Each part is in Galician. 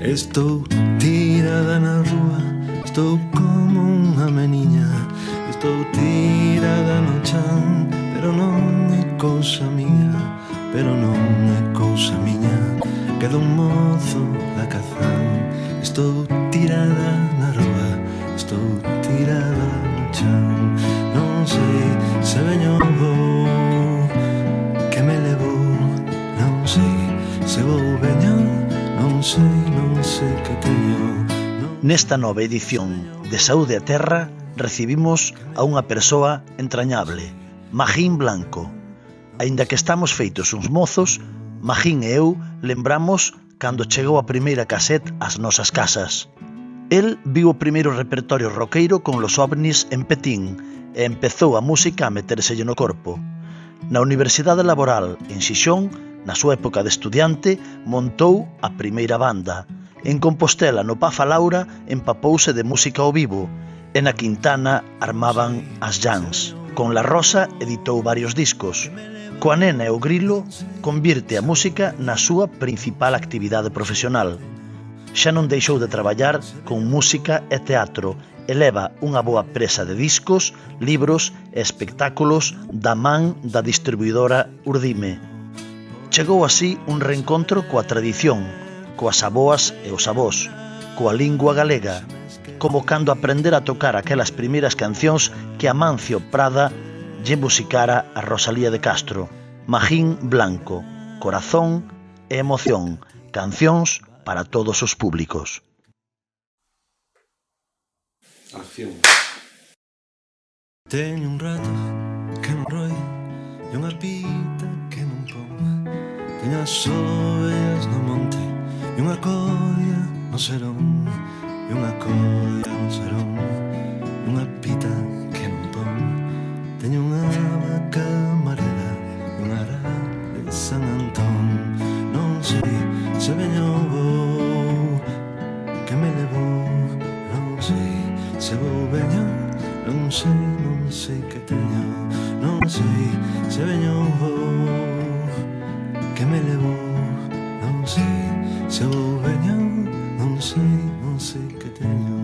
Estou tirada na rúa, estou como unha meniña. Estou tirada no chan, pero non é cousa miña, pero non é cousa miña. Quedo un mozo da Cazán. Estou tirada na rúa, estou tirada no chan. Non sei se veño vou, que me levou. Non sei se vou veño, non sei que teño. Nesta nova edición de Saúde a Terra recibimos a unha persoa entrañable, Magín Blanco. Aínda que estamos feitos uns mozos, Magín e eu lembramos cando chegou a primeira casete ás nosas casas. El viu o primeiro repertorio roqueiro con Los OVNIs en Petín e empezou a música a metérselle no corpo. Na Universidade Laboral, en Xixón, na súa época de estudiante, montou a primeira banda. En Compostela, no Pafa Laura, empapouse de música ao vivo, e na Quintana armaban as jams. Con La Rosa editou varios discos. Coa Nena e o Grilo convirte a música na súa principal actividade profesional. Xa non deixou de traballar con música e teatro e leva unha boa presa de discos, libros e espectáculos da man da distribuidora Urdime. Chegou así un reencontro coa tradición, coas aboas e os avós, coa lingua galega, como cando aprender a tocar aquelas primeiras cancións que Amancio Prada lle musicara a Rosalía de Castro. Magín Blanco, corazón e emoción, cancións para todos os públicos. Acción. Teño un rato que non roi e unha pita que non pon. Teño as ovellas no monte e unha colla no serón, e unha colla no serón, e unha pita que non pon. Teño unha vaca amarela e unha ara de San Antón. Non sei se veño vou, que me levou. Non sei se vou veño, non sei que teño. Non sei se veño vou, que me levou. Non sei se vou veño, non sei que teño.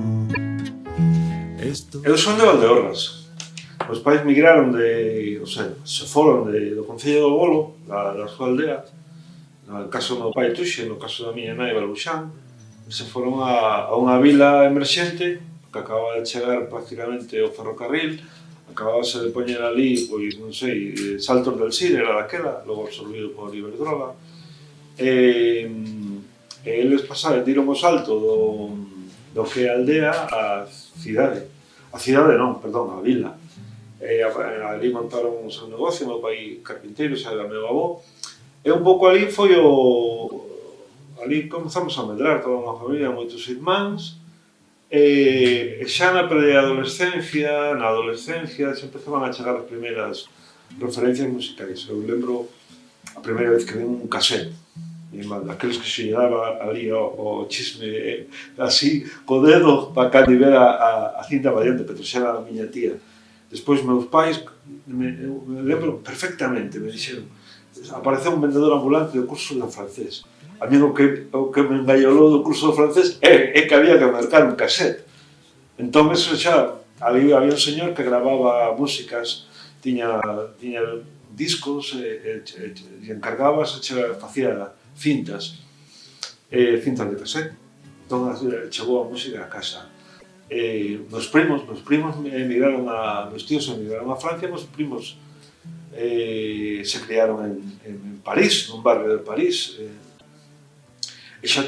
Eu son de Valdeorras. Os pais migraron se foron do Concello do Bolo, da súa aldea. No caso do meu pai Tuxe, no caso da miña nai Baluxán, se foron a unha vila emerxente que acababa de chegar prácticamente o ferrocarril, acabábase de poñer ali, pois, non sei, Saltos del Sir era daquela, logo absorbido por Iberdrola, e eles pasaron, tiron o salto do que é a aldea á cidade. A cidade non, perdón, a vila. Ali montaron o seu negocio, meu pai carpinteiro, xa era meu avó, e un pouco ali foi ali comezamos a medrar toda unha familia, moitos irmáns, e xa na preadolescencia, na adolescencia, xa empezaban a chegar as primeiras referencias musicais. Eu lembro a primeira vez que vi un casete, aqueles que se daba ali o chisme así, co dedo, para cando ver a cinta variante, que trouxera a miña tía. Despois, meus pais, eu lembro perfectamente, me dixeron, apareceu un vendedor ambulante do curso de francés. A mí o que me engaiolou do curso de francés é que había que marcar un casete. Entón, eso xa, ali había un señor que grababa músicas, tiña discos e encargabas, facía cintas de casete. Entón, chegou a música a casa. Meus primos emigraron meus tíos emigraron a Francia, meus primos se criaron en París, nun barrio de París, e xa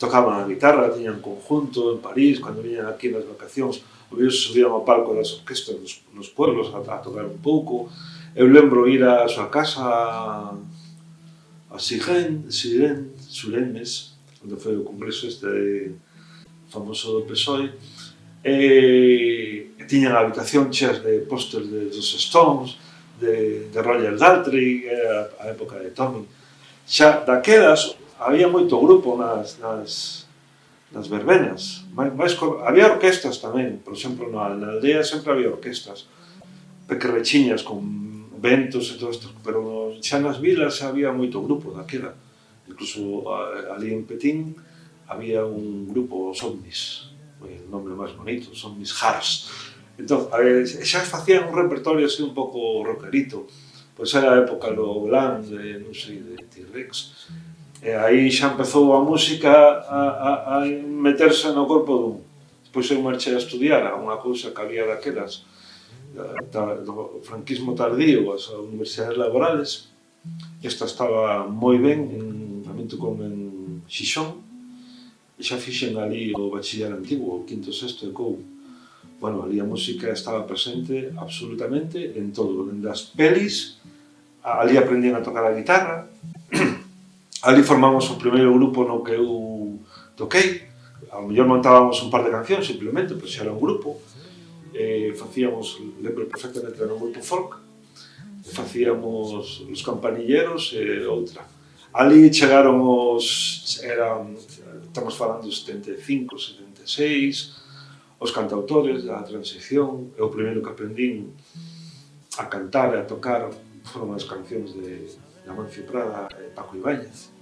tocaban a guitarra, tiñan conjunto en París, cando viñan aquí nas vacacións, subían ao palco das orquestas nos pueblos a tocar un pouco. Eu lembro ir á súa casa a Surenes, onde foi o congreso famoso do PSOE, e tiñan a habitación cheas de pósters dos Stones, de Roger Daltrey, a época de Tommy. Xa daquelas había moito grupo nas verbenas. Había orquestas tamén, por exemplo, na aldea sempre había orquestas pequerrechiñas con ventos e todo isto, pero xa nas vilas había moito grupo daquela. Incluso ali en Petín había un grupo, os Omnis, o nome máis bonito, os Omnis Hearts. Entón, xa facían un repertorio así un pouco rockerito. Pois era a época do Glam, de, non sei, de T-Rex. E aí xa empezou a música a meterse no corpo dun. Depois eu marchei a estudiar a unha cousa que había daquelas do franquismo tardío, as universidades laborales. Esta estaba moi ben, a min tocou en Xixón, e xa fixen ali o bachiller antigo, o quinto, sexto de Cou. Bueno, ali a música estaba presente absolutamente en todo, dende as pelis, ali aprendían a tocar a guitarra, ali formamos o primeiro grupo no que eu toquei, ao mellor montábamos un par de cancións simplemente, pero xa era un grupo, facíamos, lembro perfectamente, era un grupo folk, facíamos Los Campanilleros e outra. Ali chegaron estamos falando de 75, 76, os cantautores da transición, e o primeiro que aprendín a cantar e a tocar foron as cancións de Amancio Prada e Paco Ibáñez.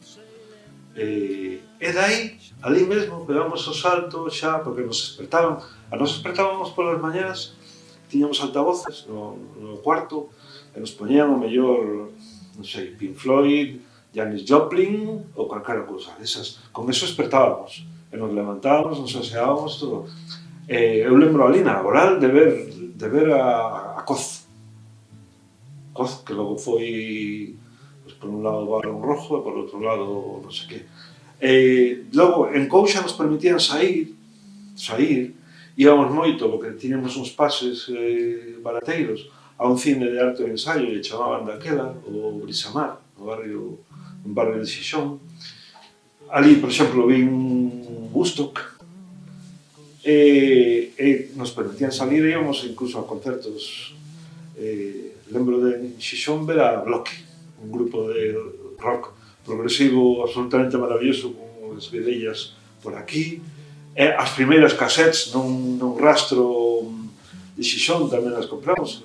E dai, ali mesmo, pegamos o salto xa, porque nos despertábamos polas mañás, tiñamos altavoces no cuarto, e nos poñían o mellor, non sei, Pink Floyd, Janis Joplin ou calquera cousa desas. Con eso despertábamos, e nos levantábamos, nos aseábamos, todo. Eu lembro ali na laboral de ver a Coz, que logo foi, pues, por un lado Barón Rojo e por outro lado non sei que. Logo en Couxa nos permitían sair, íbamos moito porque tiñamos uns pases barateiros a un cine de arte e ensaio e chamaban daquela, o Brisamar, un barrio de Xixón. Ali, por exemplo, vin Woodstock, e nos permitían salir e íbamos incluso a concertos. Lembro de Xixón ver a Bloque, un grupo de rock progresivo absolutamente maravilloso, con as vedellas por aquí. As primeiras cassettes nun rastro de Xixón tamén as compramos.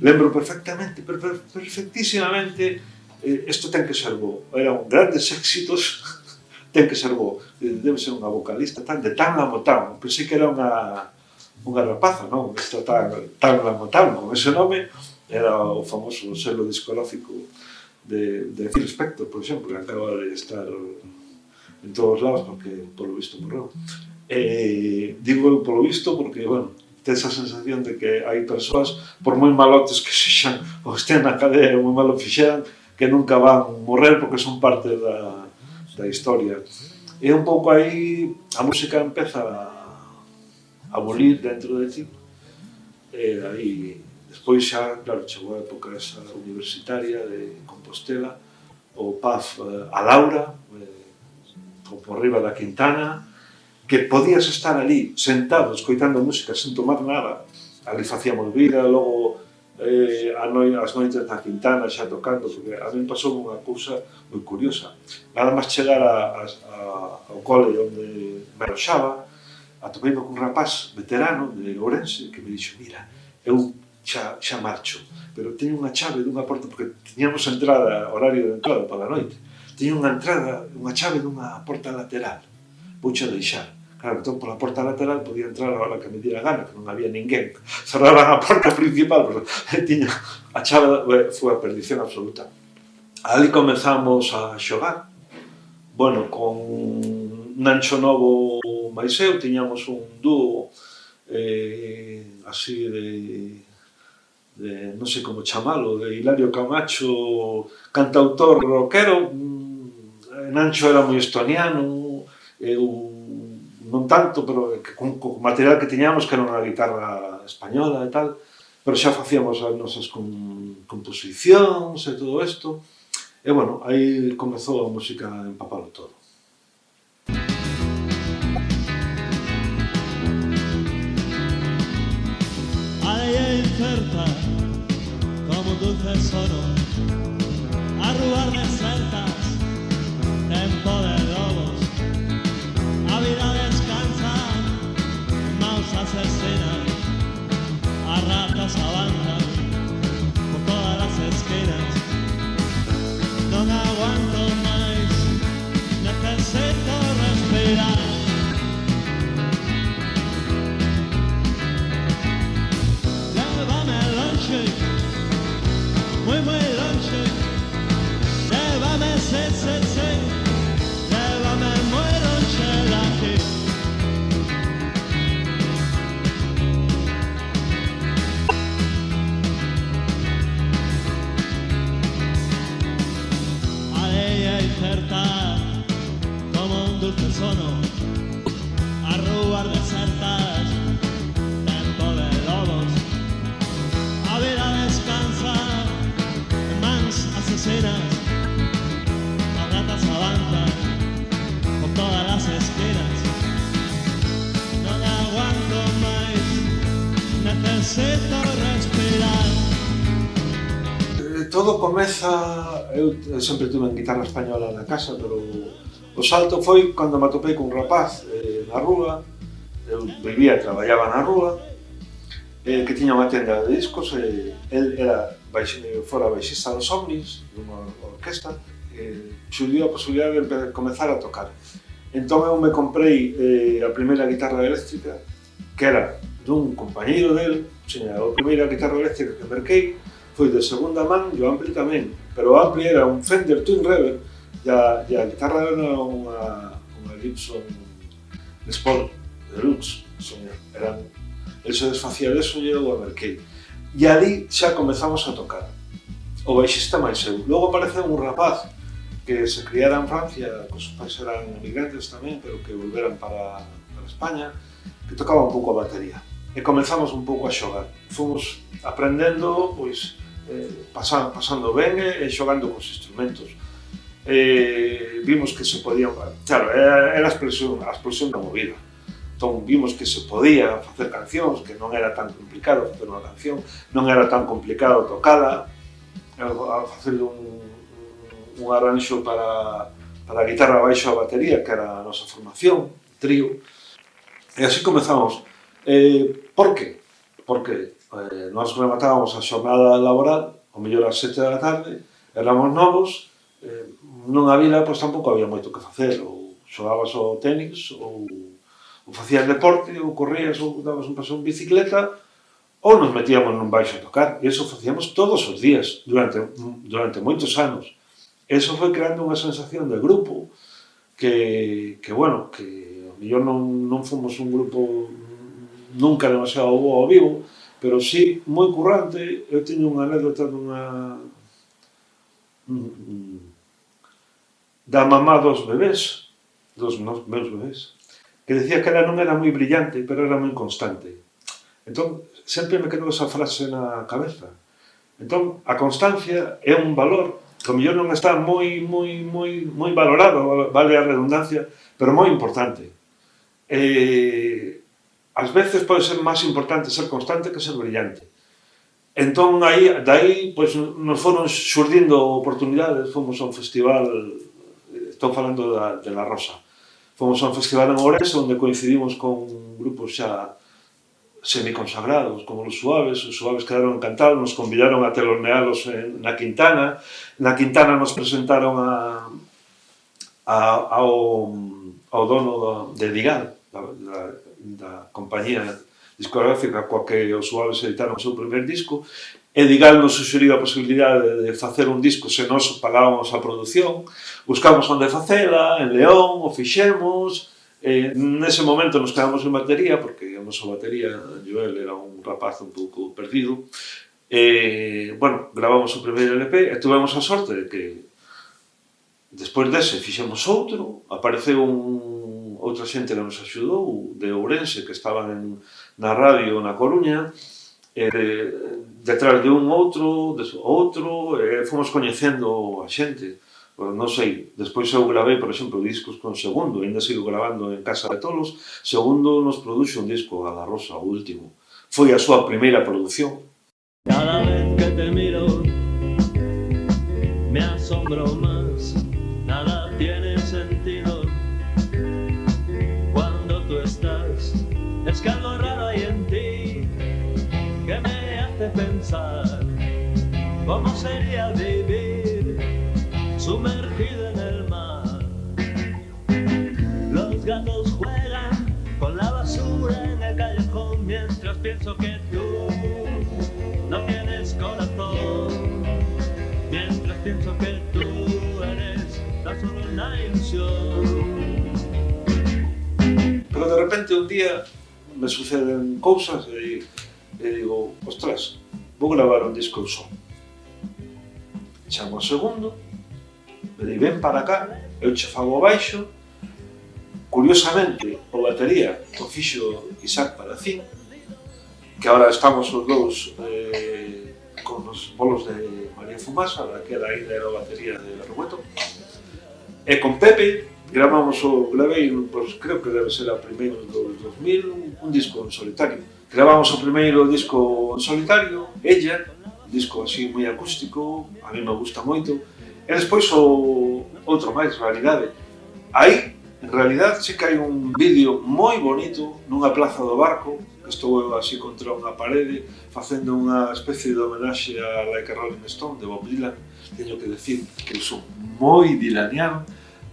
Lembro perfectamente, perfectísimamente, isto ten que ser bo. Eran grandes éxitos, ten que ser bo. Debe ser unha vocalista de Tan Lamotán. Pensei que era unha rapaza, non? Esta Tan Lamotán, con ese nome, era o famoso selo discográfico de Phil Spector, por exemplo, que acaba de estar en todos lados porque, polo visto, morreu. Digo polo visto porque, bueno, ten esa sensación de que hai persoas, por moi malotes que sexan ou estén na cadea ou moi malo fixeran, que nunca van morrer porque son parte da historia. E un pouco aí a música empeza a bolir dentro de ti. E aí, despois xa, claro, chegou a época esa universitaria de Compostela, o PAF a Laura, por riba da Quintana, que podías estar ali sentado escoitando música sen tomar nada. Ali facíamos vida, logo as noites da Quintana xa tocando, porque a mí pasou unha cousa moi curiosa. Nada máis chegar ao cole onde me aloxaba, atopeime con un rapaz veterano de Ourense que me dixo: mira, eu xa marcho, pero teño unha chave dunha porta, porque tiñamos horario de entrada para a noite, teño unha chave dunha porta lateral, vouche deixar. Claro, entón, pola porta lateral podía entrar a hora que me diera gana, que non había ninguén. Cerraban a porta principal, pero tiña a chave, foi a perdición absoluta. Ali comezamos a xogar. Bueno, con Nancho Novo máis eu, tiñamos un dúo así de non sei como chamalo, de Hilario Camacho, cantautor rockero. Nancho era moi estoniano, eu non tanto, pero con material que tiñamos, que era unha guitarra española e tal, pero xa facíamos as nosas composicións e todo isto. E, bueno, aí comezou a música a empapalo todo. A lei é incerta como dulce sono, a rúas desertas, tempo de lobos, a vida descansa, maus asesinan, a ratas avanzan por todas las esquinas. Non aguanto máis, moi longe, llévame, sí, sí, sí, llévame moi longe de aquí. Ella incerta como un dulce sono a ruas desertas, tempo de lobos, a vida descansa en mans asesinas, las ratas avanzan por todas las esquinas. No me aguanto más, necesito respirar. Todo comeza, eu sempre tuve en guitarra española na casa, pero o salto foi cando me atopei con un rapaz na rúa. Eu vivía e traballaba na rúa, que tiña unha tenda de discos, el era fora baixista dos Omnis, dunha orquesta, xurdiu a posibilidade de comezar a tocar. Entón eu me comprei a primeira guitarra eléctrica, que era dun compañeiro del, a primeira guitarra eléctrica que merquei, foi de segunda man e o ampli tamén, pero o ampli era un Fender Twin Reverb e a guitarra era unha Gibson Les Paul Deluxe. El se desfacía deso e eu a merquei. E ali xa comezamos a tocar. O baixista máis eu. Logo apareceu un rapaz que se criara en Francia, que os pais eran emigrantes tamén, pero que volveran para España, que tocaba un pouco a batería. E comezamos un pouco a xogar. Fomos aprendendo, pois, pasando ben e xogando cos instrumentos. Vimos que se podía, claro, era a explosión da movida. Entón vimos que se podía facer cancións, que non era tan complicado facer unha canción, non era tan complicado tocala, facer un arranxo para a guitarra baixo a batería, que era a nosa formación, trío. E así comezamos. Por que? Porque nós rematábamos a xornada laboral, ao mellor ás 7 da tarde, éramos novos, nunha vila pois tampouco había moito que facer, ou xogabas ao tenis, ou facías deporte, ou corrías, ou dabas un paseo en bicicleta, ou nos metíamos nun baixo a tocar, e iso facíamos todos os días, durante moitos anos. Eso foi creando unha sensación de grupo, que bueno, que ao mellor non fomos un grupo nunca demasiado bo ao vivo, pero sí moi currante. Eu teño unha anécdota da mamá dos bebés, dos meus bebés, que decía que ela non era moi brillante, pero era moi constante. Entón, sempre me quedou esa frase na cabeza. Entón, a constancia é un valor que ao mellor non está moi valorado, vale a redundancia, pero moi importante. Ás veces pode ser máis importante ser constante que ser brillante. Entón, daí, pois, nos foron xurdindo oportunidades. Fomos a un festival, estou falando de La Rosa, fomos a un festival en Ourense, onde coincidimos con grupos xa semiconsagrados, como Los Suaves quedaron encantados, nos convidaron a telonealos na Quintana. Na Quintana nos presentaron ao dono de Digal, da compañía discográfica coa que os Suaves editaron o seu primer disco, e Digal nos suxeriu a posibilidade de facer un disco se nós pagábamos a produción. Buscamos onde facela, en León, o fixemos. Nese momento nos quedamos en batería, porque a nosa batería, Joel, era un rapaz un pouco perdido. Bueno, gravamos o primeiro LP e tuvemos a sorte de que despois dese fixemos outro, apareceu outra xente que nos axudou, de Ourense, que estaban na radio na Coruña, detrás de un outro, fomos coñecendo a xente. Non sei, despois eu gravei, por exemplo, discos con Segundo, ainda sigo gravando en Casa de Tolos. Segundo nos produxo un disco a La Rosa, o último. Foi a súa primeira produción. Cada vez que te miro, me asombro más, nada tiene sentido. Cuando tú estás, es que algo raro hay en ti, que me hace pensar, ¿cómo sería vivir sumergido en el mar? Los gatos juegan con la basura en el callejón, mientras pienso que tú no tienes corazón. pienso que tú eres tan solo una ilusión. Pero de repente un día me suceden cousas e digo, ostras, vou gravar un disco só. Chamo o segundo, me di, ven para cá, eu che fago o baixo. Curiosamente, o batería o fixo Isaac Palacín, que agora estamos os dous con os bolos de María Fumasa, daquela ainda era a batería de Berrueto. E con Pepe gravei, pues, creo que debe ser a primeiro do 2000, un disco en solitario. Gravamos o primeiro disco en solitario, Ella, un disco así moi acústico, a mí me gusta moito. E despois o outro máis, Realidade. Aí, en realidad, sí que hai un vídeo moi bonito nunha plaza do Barco, que estou eu así contra unha parede, facendo unha especie de homenaxe a Like a Rolling Stone, de Bob Dylan. Teño que decir que eu son moi dilaniano.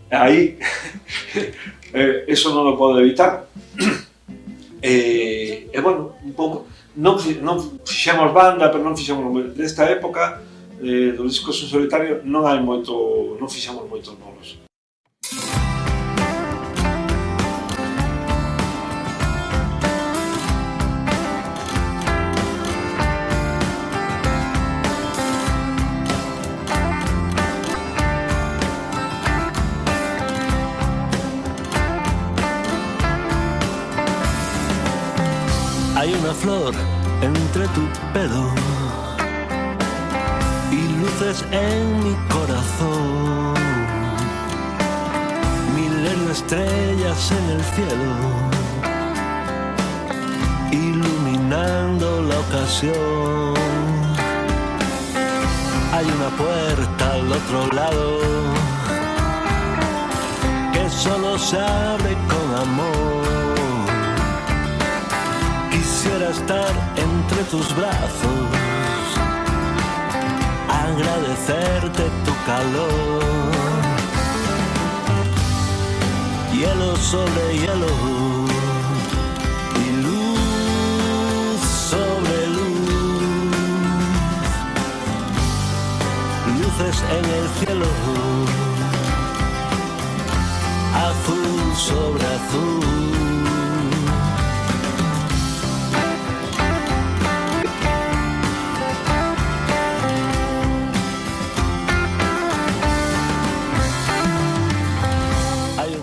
Aí, eso non o podo evitar. E bueno, un pouco, non fixemos banda, pero non fixemos desta época, dos discos en solitario, non fixemos moitos bolos. Hay una flor entre tu pelo y luces en mi corazón, milenio estrellas en el cielo, iluminando la ocasión. Hay una puerta al otro lado que solo se abre con amor. Quisiera estar entre tus brazos, agradecerte tu calor. Hielo sobre hielo y luz sobre luz, luces en el cielo, azul sobre azul.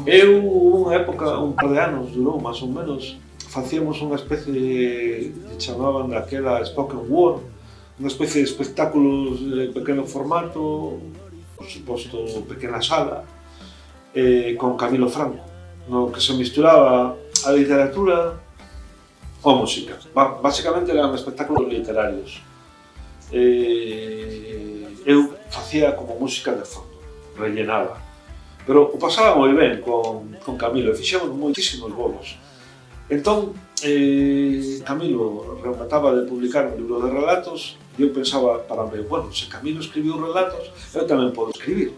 Eu, unha época, un par de anos, durou máis ou menos, facíamos unha especie que chamaban daquela spoken word, unha especie de espectáculos de pequeno formato, por suposto pequena sala, con Camilo Franco, no que se misturaba a literatura ou música. Basicamente eran espectáculos literarios. Eu facía como música de fondo, rellenaba. Pero o pasaba moi ben con Camilo, e fixemos moitísimos bolos. Entón, Camilo remataba de publicar un libro de relatos e eu pensaba para mí, bueno, se Camilo escribiu relatos, eu tamén podo escribir.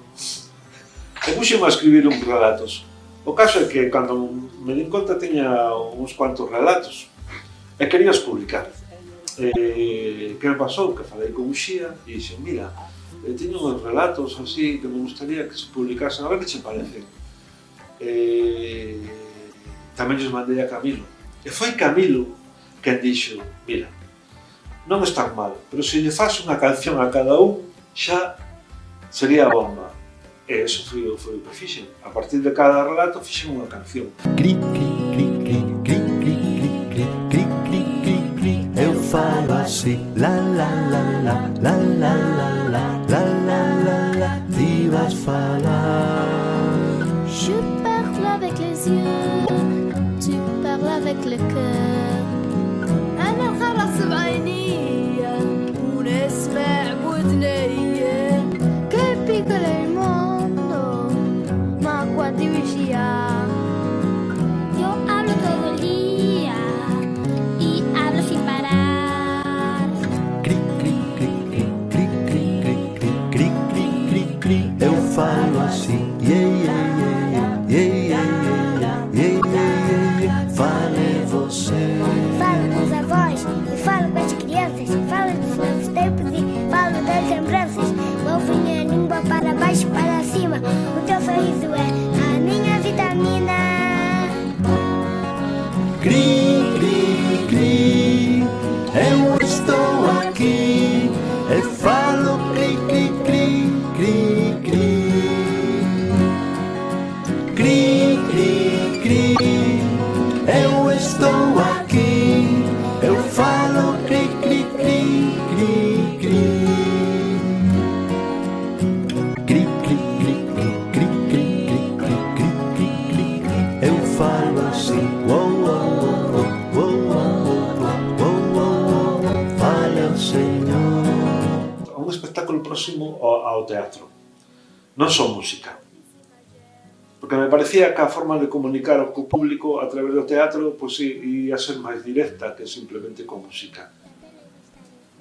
E puxeme a escribir uns relatos. O caso é que, cando me din conta, tiña uns cuantos relatos e querías publicar. Que me pasou? Que falei con Uxía e dixen, mira, teño uns relatos así que me gustaría que se publicasen, a ver que che parecen. Tamén lles mandei a Camilo. E foi Camilo quen dixo, mira, non están mal, pero se lle faz unha canción a cada un, xa sería a bomba. E eso foi o que fixen. A partir de cada relato fixen unha canción. Cri, cri, cri, cri, cri, cri, cri, cri, cri, cri, cri. Eu falo así, la la la la, la la la la, la la la la. Ti vas falar. Je parle avec les yeux, tu parles avec le cœur. أنا خلاص بعيني ونسمع بودني. Che piccolo è il mondo, ma quanti vicini. Yo hablo todo el día y hablo sin parar. Cri, cri, cri, cri, cri, cri, cri, cri, cri, cri, cri. Eu falo assim, yeah, yeah, yeah, yeah, yeah, yeah, yeah, yeah, yeah. Fale você. Falo com os avós e falo com as crianças. Falo dos novos tempos e falo das lembranças. Não vinha ninguém. e falo cri, cri, cri, cri, cri. Cri, cri, cri, eu estou aqui, eu falo cri, cri, cri, cri, cri. Cri, cri, cri, cri, cri, cri, cri, cri, cri, cri, cri. Eu falo assim, uou, uou, uou, uou, uou, uou, uou, fale ao Señor. Un espectáculo próximo ao teatro, non só música. Porque me parecía que a forma de comunicar co público a través do teatro pois, ia ser máis directa que simplemente con música.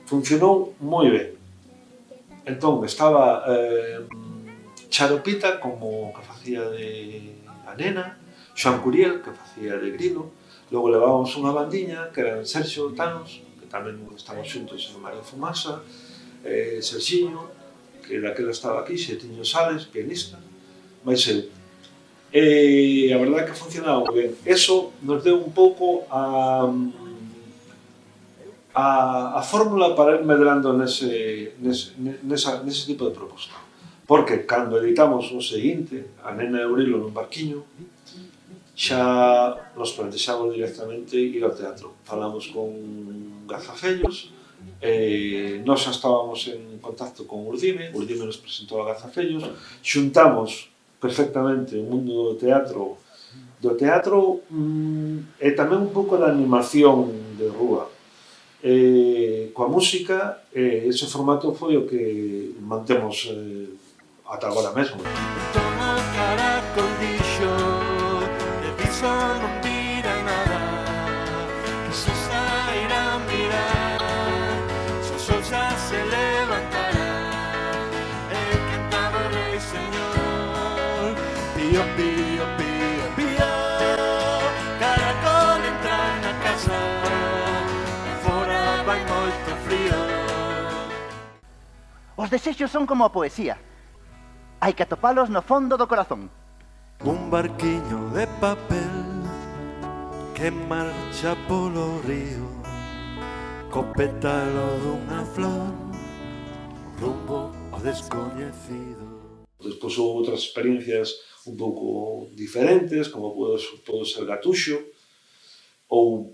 Funcionou moi ben. Entón, estaba Charopita, como que facía de a nena, Xoan Curiel, que facía de Grilo, logo levábamos unha bandiña, que eran Sergio Tanos, que tamén estaban xuntos en María Fumasa, Sergiño, que daquela estaba aquí, Xetiño Sales, pianista, máis eu. E a verdade é que funcionaba moi ben. Eso nos deu un pouco a fórmula para ir medrando nese tipo de proposta. Porque cando editamos o seguinte, A nena e o grilo nun barquiño, xa nos plantexamos directamente ir ao teatro. Falamos con Gazafellos, nós xa estábamos en contacto con Urdime nos presentou a Gazafellos, xuntamos perfectamente o mundo do teatro e tamén un pouco da animación de rúa. Coa música, ese formato foi o que mantemos ata agora mesmo. Toma caracol dixo, e diso non vira nada, que se sairá a mirar, se o sol xa se levantará, e cantaba o rei señor, pío, pío, pío, pío, caracol entra na casa, fora vai moito frío. Os desexos son como a poesía. Hai que atopalos no fondo do corazón. Un barquiño de papel que marcha polo río, co pétalo dunha flor, rumbo ao descoñecido. Despois houve outras experiencias un pouco diferentes, como pode ser Gatuxo, ou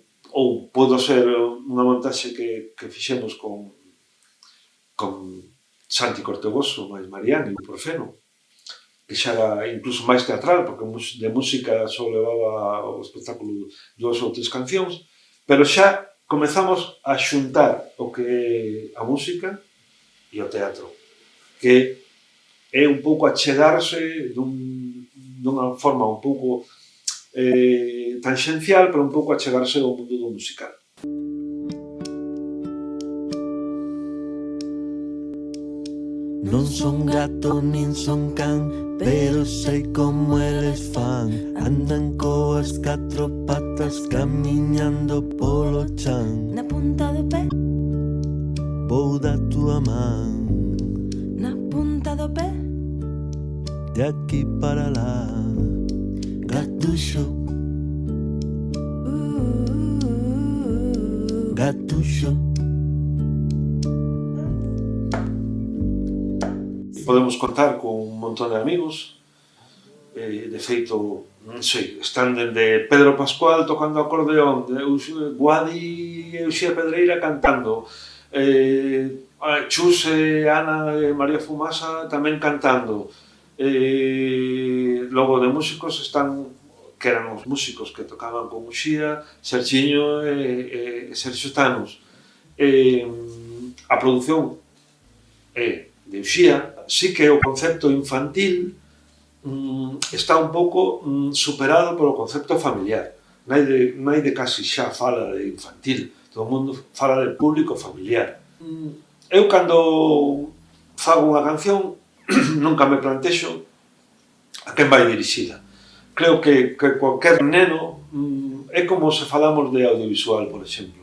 pode ser unha montaxe que fixemos con Santi Cortegoso, máis Mariani, por Feno, que xa era incluso máis teatral, porque de música só levaba o espectáculo 2 ou 3 cancións, pero xa comezamos a xuntar o que é a música e o teatro, que é un pouco achegarse dunha forma un pouco tangencial, pero un pouco achegarse ao mundo do musical. Non son gato nin son can, pero sei como eles fan. Andan coas 4 patas camiñando polo chan. Na punta do pé, Vou da túa man, na punta do pé, de aquí para lá. Gatuxo, Gatuxo. Podemos contar con un montón de amigos, de feito, non sei, están dende Pedro Pascual tocando acordeón, Guadi e Uxía Pedreira cantando, Chus e Ana e María Fumasa tamén cantando, logo de músicos están, que eran os músicos que tocaban con Uxía, Sergiño e Sergio Tanos. A produción é de Uxía, sí que o concepto infantil está un pouco superado polo concepto familiar. Nai de casi xa fala de infantil, todo o mundo fala de público familiar. Eu cando fago unha canción nunca me plantexo a quen vai dirixida. Creo que cualquier neno é como se falamos de audiovisual, por exemplo.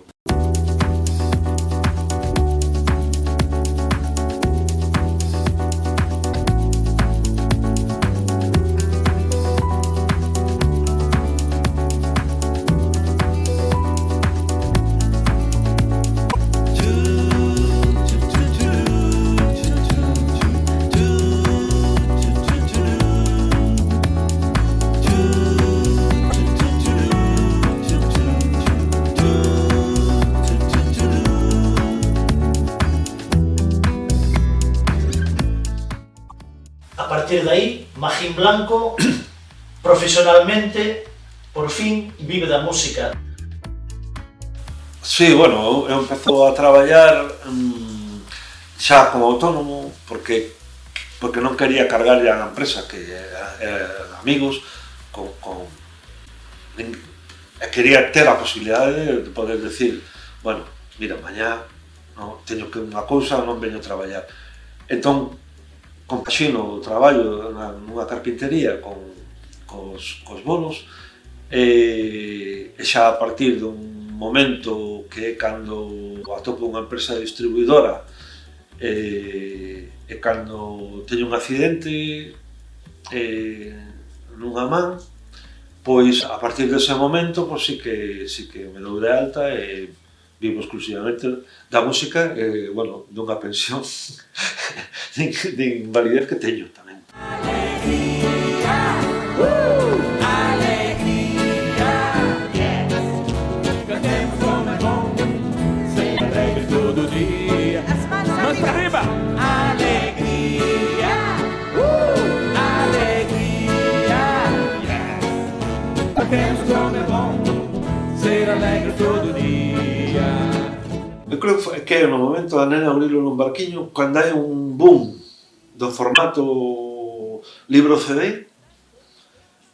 partir de aí, Magín Blanco, profesionalmente, por fin, vive da música. Sí, bueno, eu empezo a traballar xa como autónomo porque non quería cargarlle á empresa que amigos quería ter a posibilidade de poder decir, bueno, mira, mañá teño que unha cousa, non veño a traballar. Entón, compaxino o traballo nunha carpintería cos bolos e xa a partir dun momento que é cando atopo unha empresa distribuidora e cando teño un accidente nunha man, pois a partir dese momento pois sí que me dou de alta e vivo exclusivamente da música e, bueno, dunha pensión de invalidez que teño tamén. Eu creo que é no momento da nena Aurilo nun barquiño cando hai un boom do formato libro CD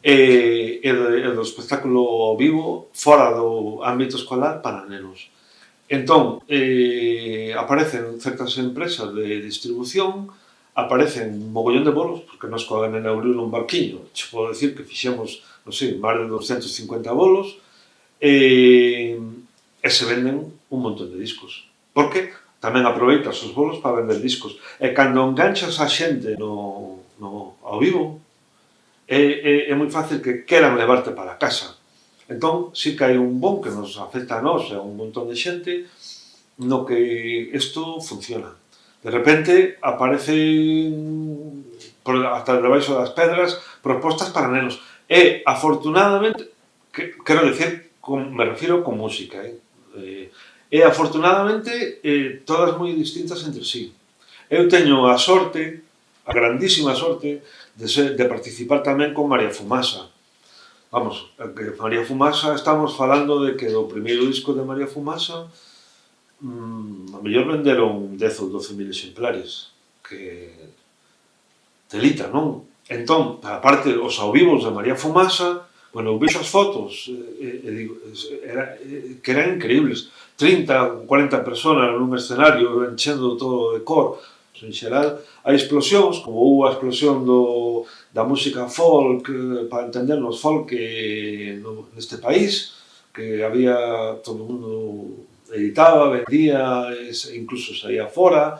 e do espectáculo vivo fora do ámbito escolar para nenos. Entón, aparecen certas empresas de distribución, aparecen un mogollón de bolos, porque nos coa nena Aurilo nun barquiño, che podo decir que fixemos, non sei, máis de 250 bolos, e se venden un montón de discos, porque tamén aproveitas os bolos para vender discos, e cando enganchas a xente ao vivo é moi fácil que queran levarte para casa. Entón, sí que hai un bon que nos afecta a nós e a un montón de xente no que isto funciona. De repente aparecen hasta debaixo das pedras propostas para nenos e afortunadamente, quero dicir, me refiro con música, e afortunadamente todas moi distintas entre sí. Eu teño a sorte, a grandísima sorte, de participar tamén con María Fumasa. Vamos, que María Fumasa, estamos falando de que do primeiro disco de María Fumasa a mellor venderon 10 ou 12.000 exemplares, que telita, non? Entón, aparte, os ao vivos de María Fumasa, bueno, eu vexo as fotos e digo, que eran increíbles. 30, 40 personas nun escenario enchendo todo de cor. En xeral, hai explosións, como houve a explosión da música folk, para entendernos folk neste país, que había, todo o mundo editaba, vendía, incluso saía fora.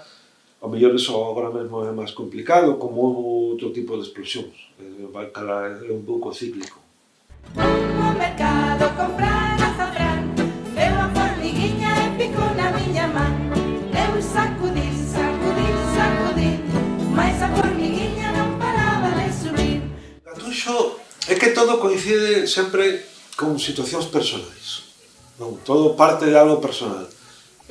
A mellor iso agora mesmo é máis complicado, como houve outro tipo de explosións. É un pouco cíclico. No mercado comprar azafrán, veo a formiguiña e pico na miña man. Eu sacudí, mais a formiguiña non paraba de subir. Gatuxo é que todo coincide sempre con situacións personais. Non, todo parte de algo personal.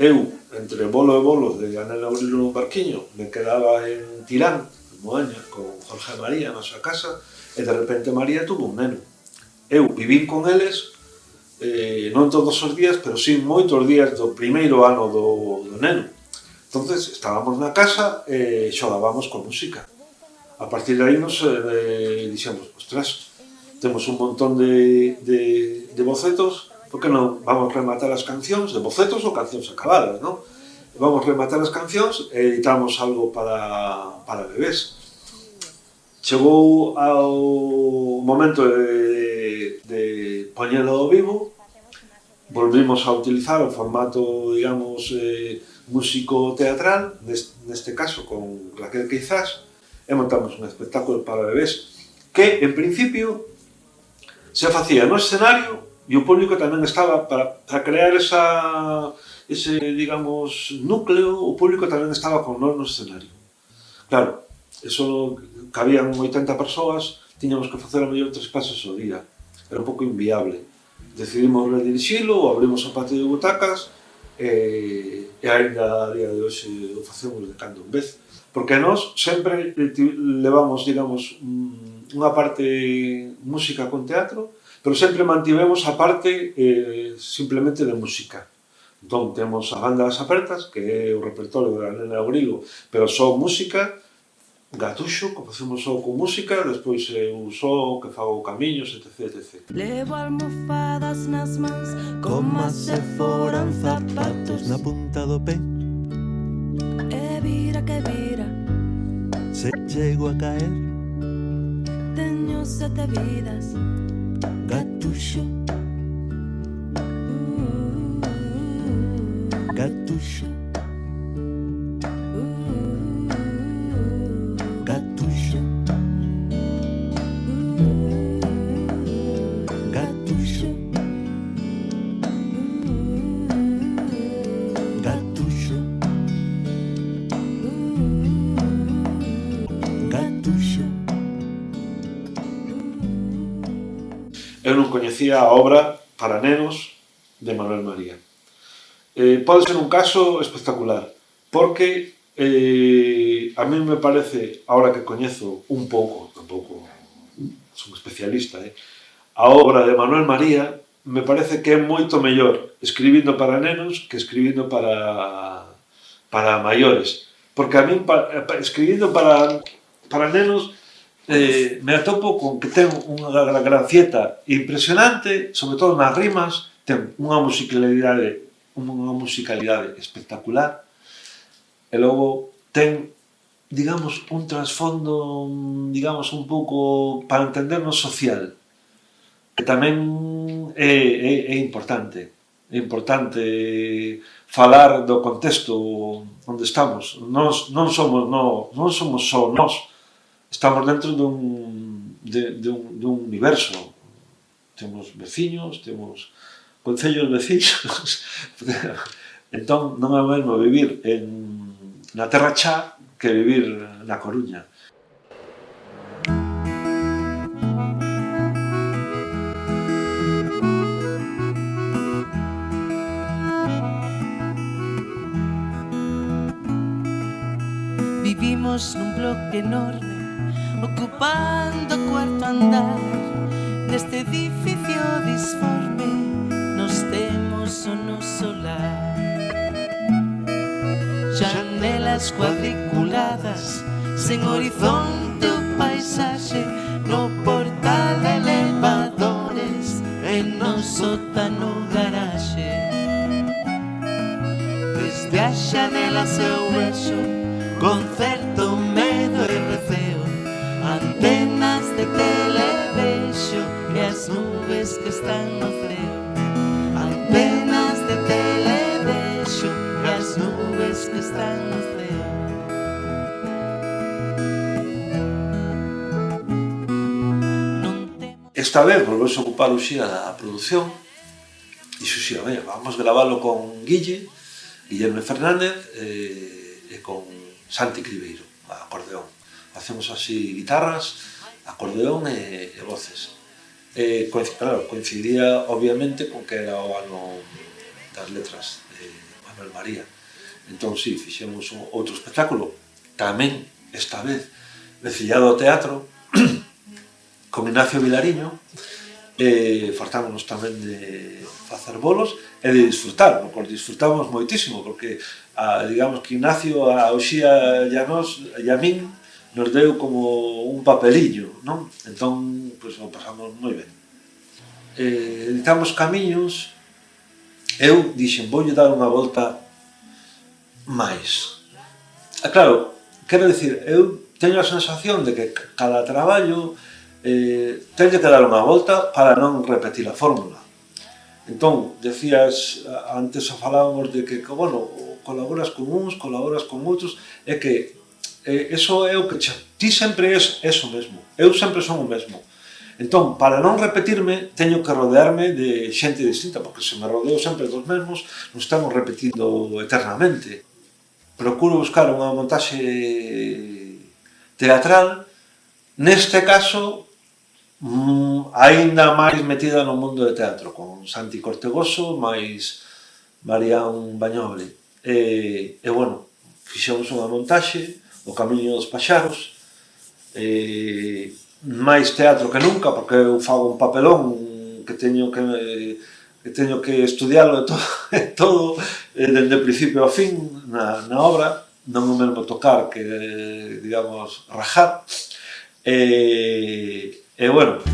Eu, entre bolo e bolo de Anela Aurilo nun barquiño, me quedaba en Tirán, en Moaña, con Jorge e María na súa casa, e de repente María tuvo un neno. Eu vivín con eles, non todos os días, pero sí moitos días do primeiro ano do neno. Entonces estábamos na casa e xogábamos con música. A partir de aí nos dixemos, ostras, temos un montón de bocetos, por que non vamos rematar as cancións, de bocetos ou cancións acabadas, non? Vamos rematar as cancións e editamos algo para bebés. Chegou ao momento de poñelo ao vivo, volvimos a utilizar o formato, digamos, músico-teatral, neste caso con Raquel Queizás, e montamos un espectáculo para bebés que, en principio, se facía no escenario e o público tamén estaba para crear ese, digamos, núcleo, o público tamén estaba con nós no escenario. Claro, eso cabían 80 persoas, tiñamos que facer a mellor 3 pases ao día. Era un pouco inviable. Decidimos redirixilo, abrimos o patio de butacas e ainda a día de hoxe o facemos de cando en vez, porque nós sempre levamos, digamos, unha parte música con teatro, pero sempre mantivemos a parte simplemente de música. Entón, temos a banda das apertas, que é o repertorio da Nena Abrigo, pero só música, Gatuxo, que facemos só con música, despois eu só que fago camiños, etc, etc. Levo almofadas nas mans como se foran zapatos Na punta do pé, e vira que vira. se chego a caer, Teño 7 vidas, Gatuxo, Gatuxo, Gatuxo, Gatuxo, Gatuxo, Gatuxo. Eu non coñecía a obra para nenos de Manuel María. Pode ser un caso espectacular, porque a mí me parece, ahora que coñezo un pouco, tampouco son especialista, a obra de Manuel María me parece que é moito mellor escribindo para nenos que escribindo para maiores, porque a mí escribindo para nenos me atopo con que ten unha gracieta impresionante, sobre todo nas rimas, ten unha musicalidade espectacular, e logo ten, digamos, un trasfondo, digamos, un pouco para entendernos social, que tamén é importante. É importante falar do contexto onde estamos. Nós non somos só nós, estamos dentro dun universo. Temos veciños, temos concellos veciños. Entón, non é o mesmo vivir na Terra Chá que vivir na Coruña. Vivimos nun bloque enorme, ocupando o cuarto andar. Neste edificio disforme, nos temos o noso lar. Janelas cuadriculadas, sen horizonte o paisaxe, no portal elevadores, e no sótano garaxe. Desde as xanelas eu vexo con certo medo e receo antenas de televexo e as nubes que están no ceo. Antenas de televexo e as nubes que están no ceo. Esta vez volvemos a ocupar o xía da produción e xuxía, vamos gravalo con Guillermo Fernández e con Santi Cribeiro, a acordeón. Facemos así guitarras, acordeón e voces. Claro, coincidía obviamente con que era o ano das letras de Manuel María. Entón, sí, fixemos outro espectáculo, tamén, esta vez, vecillado ao teatro, con Ignacio Vilariño, fartámonos tamén de facer bolos e de disfrutar, porque disfrutamos moitísimo, porque digamos que Ignacio a Uxía e a nós e a min nos deu como un papeliño, non? Entón, pois, o pasamos moi ben. Editamos camiños, eu dixen, voulle dar unha volta máis. Claro, quero dicir, eu teño a sensación de que cada traballo teño que dar unha volta para non repetir a fórmula. Entón, decías, antes falábamos de que, bueno, colaboras con uns, colaboras con outros, é que eso é o que ti sempre és o mesmo, eu sempre son o mesmo. Entón, para non repetirme, teño que rodearme de xente distinta, porque se me rodeo sempre dos mesmos, non estamos repetindo eternamente. Procuro buscar unha montaxe teatral, neste caso, aínda máis metida no mundo do teatro, con Santi Cortegoso, máis Marián Bañoble. E bueno, fixemos unha montaxe, O Camiño dos Paxaros, máis teatro que nunca, porque eu fago un papelón que teño que estudialo todo dende principio ao fin na obra, non o mesmo tocar que, digamos, rajar. E bueno,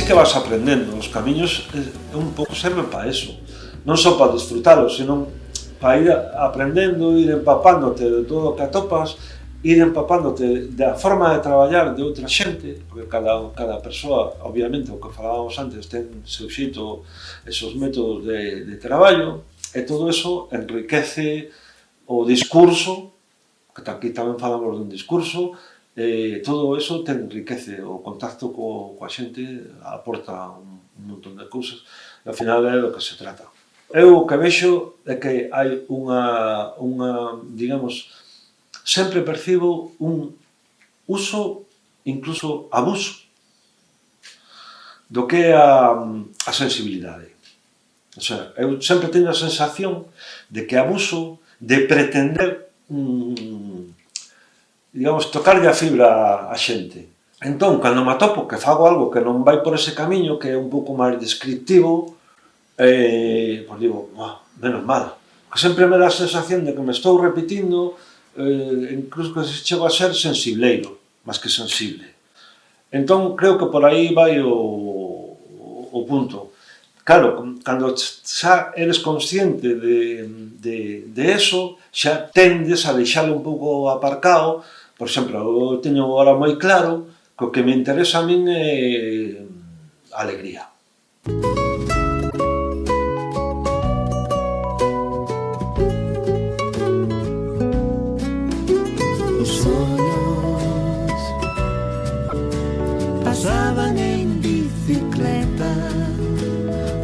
que vas aprendendo. Os camiños un pouco serven para eso, non só para disfrutalos, senón para ir aprendendo, ir empapándote de todo o que atopas, ir empapándote da forma de traballar de outra xente, porque cada persoa, obviamente, o que falábamos antes, ten seu xeito, esos métodos de traballo, e todo eso enriquece o discurso, que aquí tamén falamos dun discurso. Todo eso te enriquece, o contacto coa xente aporta un montón de cousas, e ao final é do que se trata. Eu o que vexo é que hai unha digamos, sempre percibo un uso, incluso abuso, do que é a sensibilidade. O sea, eu sempre teño a sensación de que abuso de pretender digamos, tocarlle a fibra a xente. Entón, cando me atopo que fago algo que non vai por ese camiño, que é un pouco máis descriptivo, pois digo, menos mal. Porque sempre me dá a sensación de que me estou repetindo, incluso que chego a ser sensibleiro, máis que sensible. Entón, creo que por aí vai o punto. Claro, cando xa eres consciente de eso, xa tendes a deixalo un pouco aparcado. Por exemplo, eu teño agora moi claro que o que me interesa a min é a alegría. Os sonhos pasaban en bicicleta,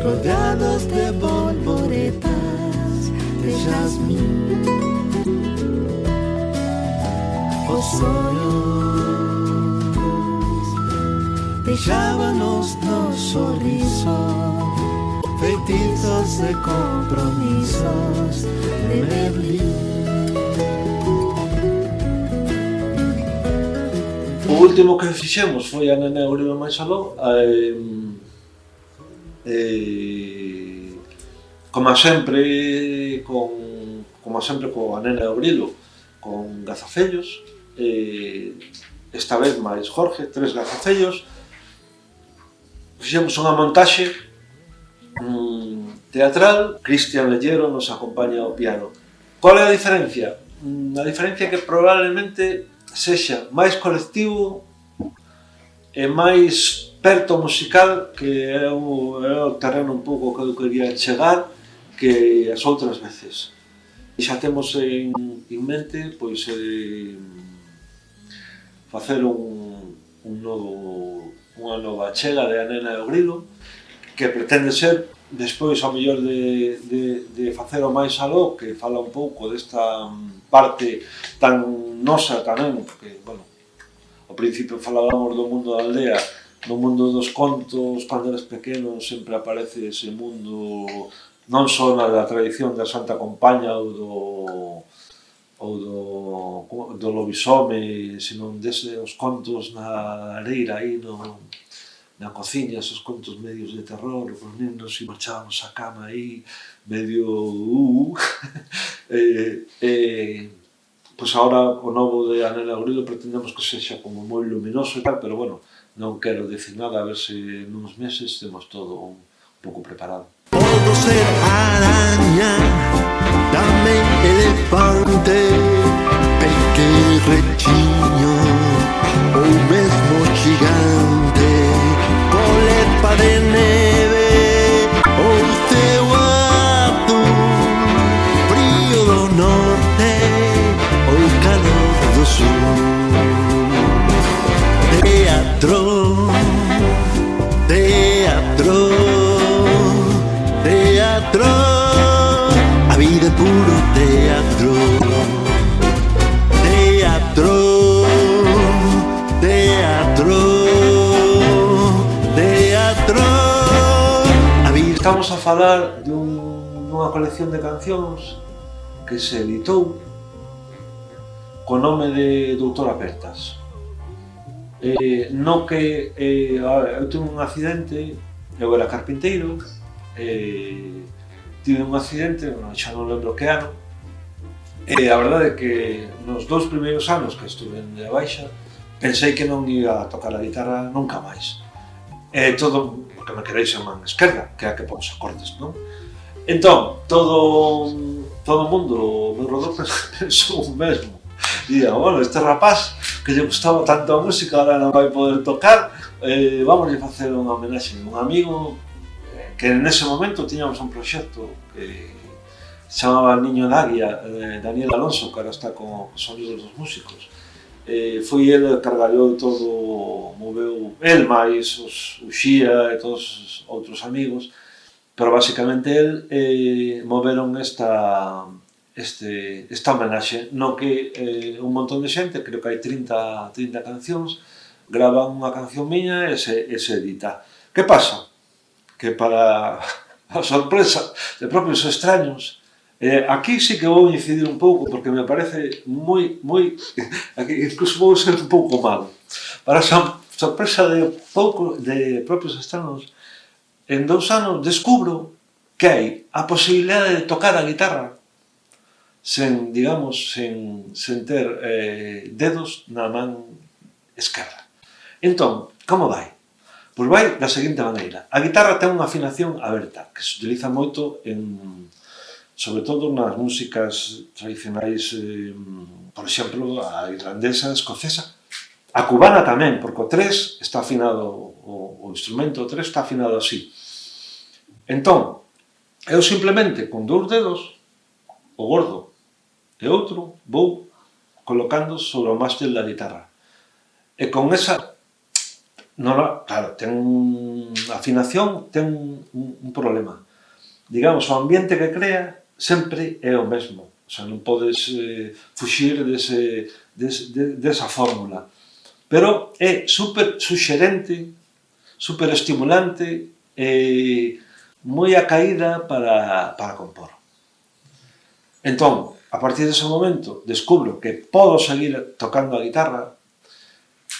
rodeados de borboretas de jazmín. Os sonhos deixábanos no sorriso, feitiços de compromisos de Berlim. O último que fixemos foi a Nena Uribe máis aló, como sempre coa Nena Obrilo, con gazafellos, esta vez máis Jorge, 3 gazafellos. Fixemos unha montaxe teatral, Cristian Lellero nos acompaña ao piano. Qual é a diferencia? A diferencia é que probablemente sexa máis colectivo e máis perto musical, que é o terreno un pouco que eu quería chegar, que as outras veces. E xa temos en mente pois facer unha nova chega de A Nena e o Grilo, que pretende ser, despois ao mellor de facer o máis aló, que fala un pouco desta parte tan nosa tamén, porque, bueno, ao principio falábamos do mundo da aldea, no mundo dos contos, cando eres pequeno, sempre aparece ese mundo, non só na da tradición da Santa Compaña ou do lobisome, senón desde os contos na areira aí na cociña, esos contos medios de terror, os nenos e marchábamos a cama aí medio pois agora o novo de A Nena e o Grilo pretendemos que sexa como moi luminoso e tal, pero bueno, non quero dicir nada, a ver se nuns meses temos todo un pouco preparado. Podo ser araña, tamén elefante, pequerrechiño ou mesmo gigante, colepa de neve ou ceo azul, frío do norte. Teatro, teatro, teatro, a vida é puro teatro. Teatro, teatro, teatro, a vida. Estamos a falar dunha colección de cancións que se editou co nome de Doutor Apertas. No que eu tive un accidente, eu era carpinteiro, tive un accidente, xa non lembro que ano, e a verdade é que nos 2 primeiros anos que estuve de baixa pensei que non ia a tocar a guitarra nunca máis. Todo porque me queréis en man esquerda, que é a que pon os acordes, non? Entón, todo o mundo, o meu rodor pensou o mesmo. Día, bueno, este rapaz que lle gustaba tanto a música ahora non vai poder tocar, vamos a facer unha homenaxe. Un amigo que nese momento tiñamos un proxecto que se chamaba Niño da Águia, Daniel Alonso, que ahora está con os Sonidos dos Músicos. Foi ele que cargallou todo, moveu el máis o Xía e todos os outros amigos, pero basicamente el moveron esta homenaxe no que un montón de xente, creo que hai 30 cancións, gravan unha canción miña e se edita. Que pasa? Que para a sorpresa de propios extraños, aquí sí que vou incidir un pouco porque me parece moi incluso vou ser un pouco malo. Para a sorpresa de propios extraños, en 2 anos descubro que hai a posibilidade de tocar a guitarra sen ter dedos na man esquerda. Entón, como vai? Pois vai da seguinte maneira. A guitarra ten unha afinación aberta, que se utiliza moito sobre todo nas músicas tradicionais, por exemplo, a irlandesa, a escocesa, a cubana tamén, porque o 3 está afinado, o instrumento 3 está afinado así. Entón, eu simplemente con 2 dedos, o gordo e outro, vou colocando sobre o mástil da guitarra. E con esa, claro, ten a afinación, ten un problema. Digamos, o ambiente que crea sempre é o mesmo. O sea, non podes fuxir desa fórmula. Pero é super suxerente, super estimulante e moi acaída para compor. Entón, a partir dese momento, descubro que podo seguir tocando a guitarra,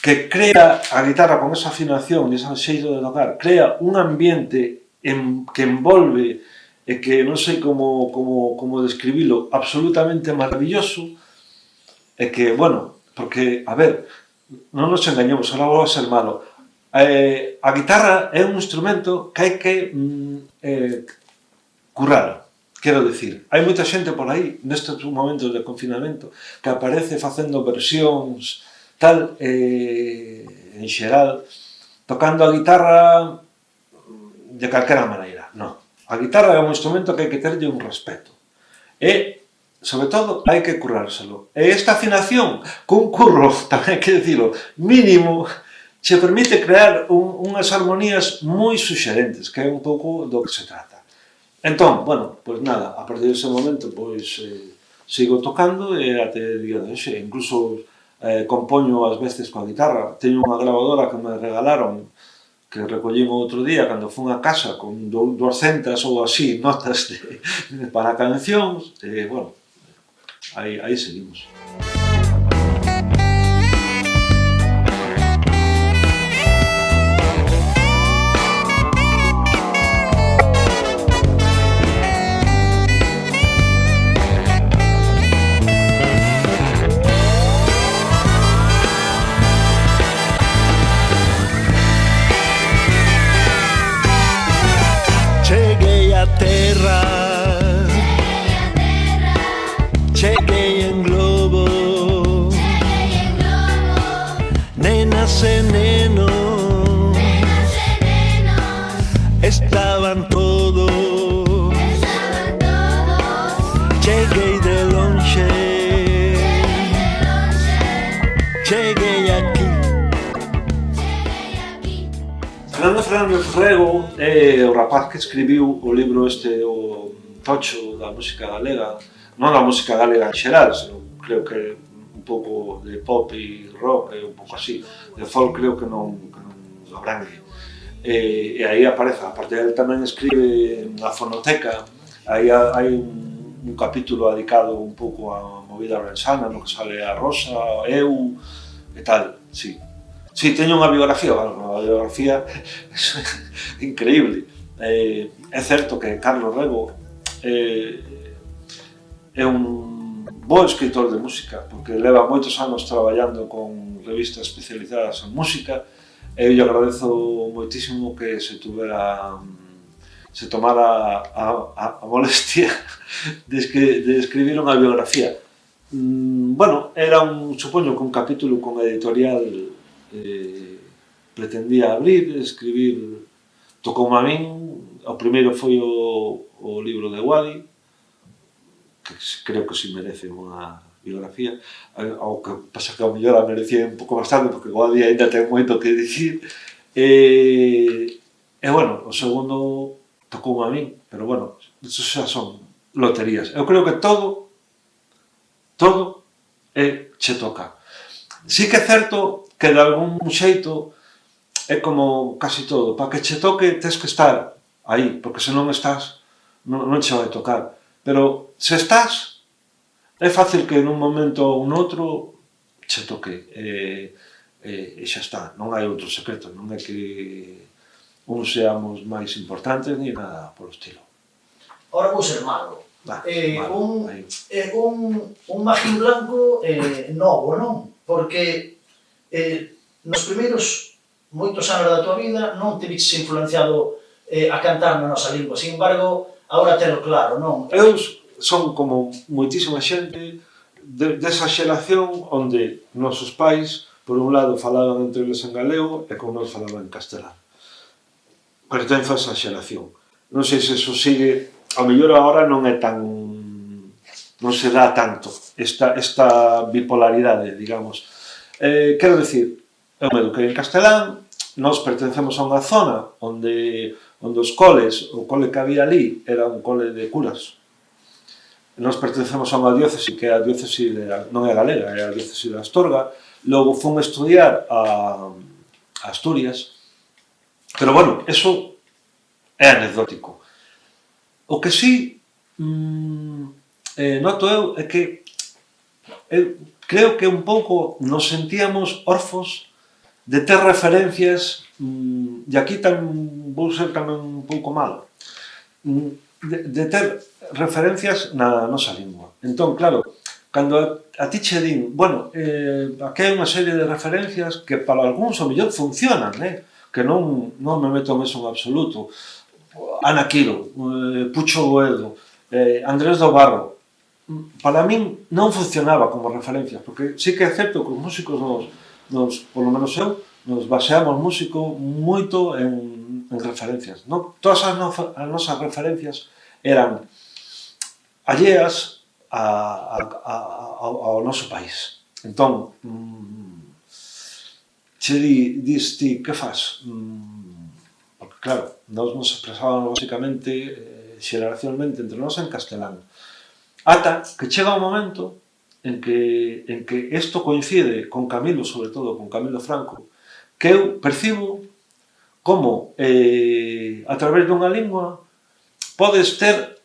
que crea a guitarra con esa afinación e ese xeito de tocar, crea un ambiente que envolve e que non sei como describilo, absolutamente maravilloso, e que, bueno, porque, a ver, non nos engañemos, ahora vou a ser malo. A guitarra é un instrumento que hai que currar. Quero dicir, hai moita xente por aí, nestes momentos de confinamento, que aparece facendo versións tal, en xeral, tocando a guitarra de calquera maneira. Non. A guitarra é un instrumento que hai que terlle un respeto. E, sobre todo, hai que currárselo. E esta afinación, cun curro, tamén hai que dicilo, mínimo, se permite crear unhas armonías moi suxerentes, que é un pouco do que se trata. Entón, bueno, pois nada, a partir dese momento, pois, sigo tocando e até día de hoxe, incluso compoño ás veces coa guitarra. Teño unha grabadora que me regalaron, que recollín outro día cando fun a casa con 200 ou así notas para cancións, e, bueno, aí seguimos. Cheguei en globo, nenas e nenos, estaban todos, cheguei de longe, cheguei aquí, Fernando Fernández Rego é o rapaz que escribiu o libro este, o tocho da música galega, non da música galega en xeral, senón creo que un pouco de pop e rock, un pouco así, de folk creo que non abrangue. E aí aparece, aparte ele tamén escribe na fonoteca, aí hai un capítulo dedicado un pouco a movida orensana, no que sale a Rosa, eu e tal, sí. Sí, teño unha biografía, bueno, unha biografía increíble. É certo que Carlos Rego é un bo escritor de música, porque leva moitos anos traballando con revistas especializadas en música, e eu lle agradezo moitísimo que se tomara a molestia de escribir unha biografía. Bueno, era supoño que un capítulo con editorial pretendía abrir, escribir, tocoume a min, o primeiro foi o libro de Wadi, que creo que si merece unha biografía, ao que pasa que ao mellor a merecía un pouco bastante, porque Wadi ainda ten moito que dicir, e bueno, o segundo tocoume a min, pero bueno, eso xa son loterías. Eu creo que todo che toca. Sí que é certo que de algún xeito é como casi todo, para que che toque tens que estar aí, porque se non estás non che vai tocar, pero se estás é fácil que nun momento ou noutro che toque e xa está, non hai outro secreto, non é que uns seamos máis importantes ni nada polo estilo. Ora vou ser malo. Un Magín Blanco novo, non? Porque nos primeiros moitos anos da tua vida non te viches influenciado a cantar na nosa lingua, sin embargo, agora telo claro, non? Eu son como moitísima xente desa xeración onde nosos pais, por un lado, falaban entre eles en galego e con nós falaban en castelán. Pertenzo a esa xeración. Non sei se eso sigue, ao mellor agora non é tan, non se dá tanto esta bipolaridade, digamos. Quero dicir, eu me eduquei en castelán, nós pertencemos a unha zona onde os coles, o cole que había ali era un cole de curas. Nós pertencemos a unha diócese que é a diócese non é galega, é a diócese de Astorga. Logo fun estudiar a Asturias, pero bueno, eso é anecdótico. O que sí noto eu é que creo que un pouco nos sentíamos orfos de ter referencias, e aquí vou ser tamén un pouco malo, de ter referencias na nosa lingua. Entón, claro, cando a ti che din, bueno, aquí hai unha serie de referencias que para algúns ao mellor funcionan, que non me meto en eso en absoluto. Ana Quiro, Pucho Boedo, Andrés do Barro, para min non funcionaba como referencias, porque sí que é certo que os músicos polo menos eu, nos baseamos músico moito en referencias. Todas as nosas referencias eran alleas ao noso país. Entón, che dis ti, que faz? Porque claro, nós nos expresábamos basicamente, xeracionalmente entre nós en castelán. Ata que chega un momento en que isto coincide con Camilo, sobre todo con Camilo Franco, que eu percibo como a través dunha lingua podes ter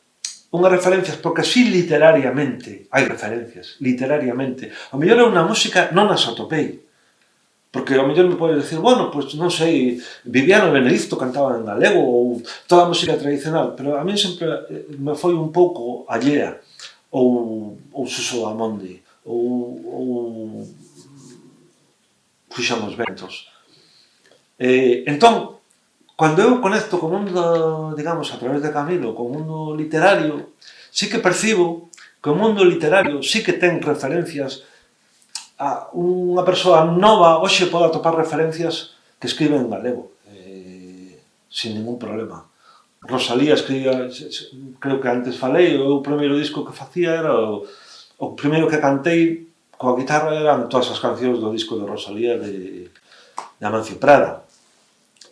unhas referencias, porque así literariamente hai referencias, literariamente. Ao mellor eu na música non as atopei, porque ao mellor me podes decir, bueno, pois non sei, Viviano Benedicto cantaba en galego ou toda a música tradicional, pero a mí sempre me foi un pouco allea, ou Suso Amondi, ou Fuxan os Ventos. Entón, cando eu conecto co mundo, digamos, a través de Camilo, co mundo literario, sí que percibo que o mundo literario sí que ten referencias a unha persoa nova, hoxe pode atopar referencias que escribe en galego, sin ningún problema. Rosalía escribía, creo que antes falei, o primeiro disco que facía era o primeiro que cantei coa guitarra eran todas as cancións do disco de Rosalía de Amancio Prada.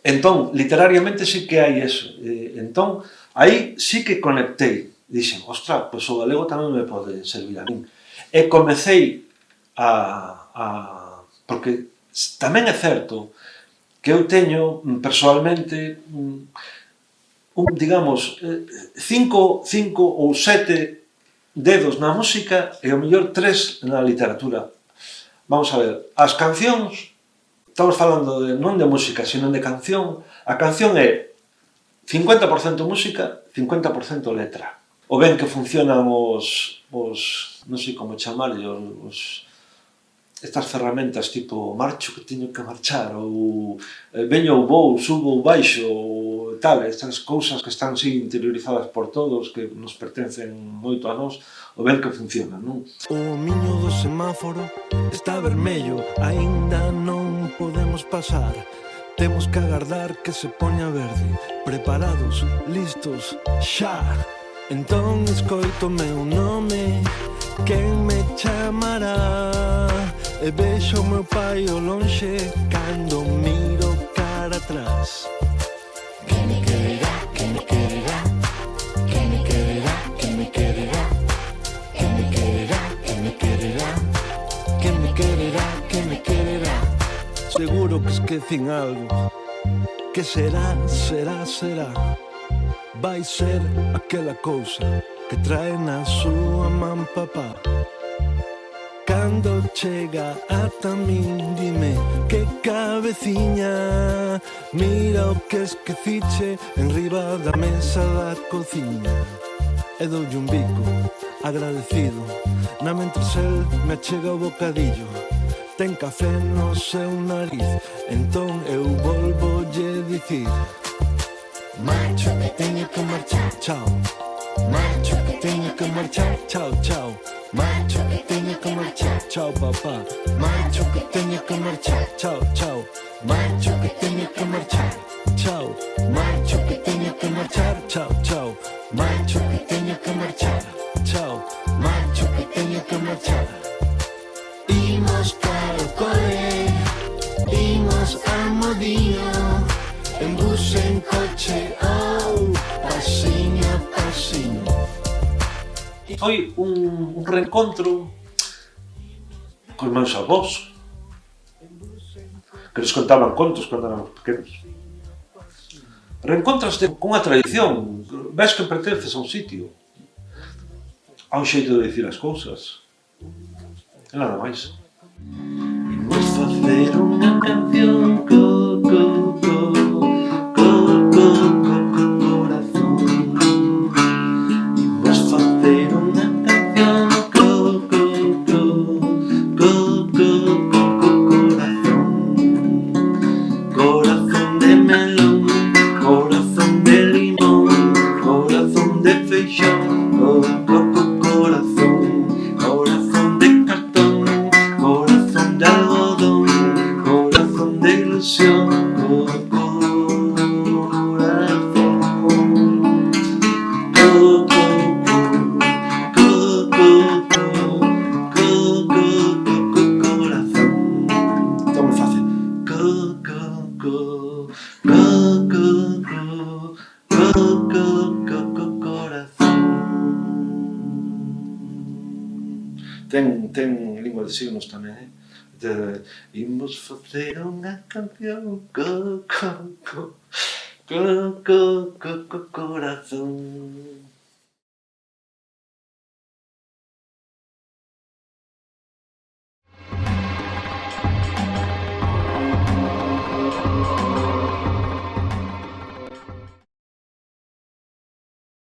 Entón, literariamente sí que hai eso. Entón, aí sí que conectei. Dixen, ostras, pois o galego tamén me pode servir a min. E comecei porque tamén é certo que eu teño, persoalmente, digamos, 5 ou 7 dedos na música e ao mellor 3 na literatura. Vamos a ver, as cancións, estamos falando non de música, sino de canción. A canción é 50% música, 50% letra. O ben que funcionan os non sei como chamarlle, estas ferramentas tipo marcho que teño que marchar, ou veño ou vou, subo ou baixo, ou tal, estas cousas que están así interiorizadas por todos, que nos pertencen moito a nós, o ben que funcionan, non? O miño do semáforo está vermello, aínda non podemos pasar. Temos que agardar que se poña verde, preparados, listos, xa. Entón escoito meu nome, quen me chamará? E vexo o meu pai ao lonxe cando miro cara atrás. Que me quererá, que me quererá, que me quererá, que me quererá, que me quererá, que me quererá, que me quererá, que me quererá. Seguro que esquecín algo. Que será, será, será. Vai ser aquela cousa que trae na súa man papá. Cando chega ata min, dime que cabeciña. Mira o que esqueciche enriba da mesa da cociña. E doulle un bico, agradecido, na mentres el me achega o bocadillo. Ten café no seu nariz, entón eu volvolle dicir: marcho que teño que marchar, chao. Marcho que teño que marchar, chao, chao. Marcho que teño que marchar, chao papá. Marcho que teño que marchar, chao, chao. Marcho que teño que marchar, chao. Marcho que teño que marchar, chao, chao. Marcho que teño que marchar, chao. Marcho que teño que marchar. Imos cara o cole, imos a Modío, en bus, en coche, oh, pasiño a pasiño. Foi un reencontro cos meus avós, que nos contaban contos cando éramos pequenos. Reencontraste cunha tradición, ves que pertences a un sitio, a un xeito de dicir as cousas, e nada máis. Imos facer unha canción corazón. Imos facer unha canción corazón. Corazón de melón, corazón de limón, corazón de feixón, corazón, corazón de cartón, corazón de algodón, corazón de ilusión, Ten lingua de signos tamén, Imos facer unha canción corazón.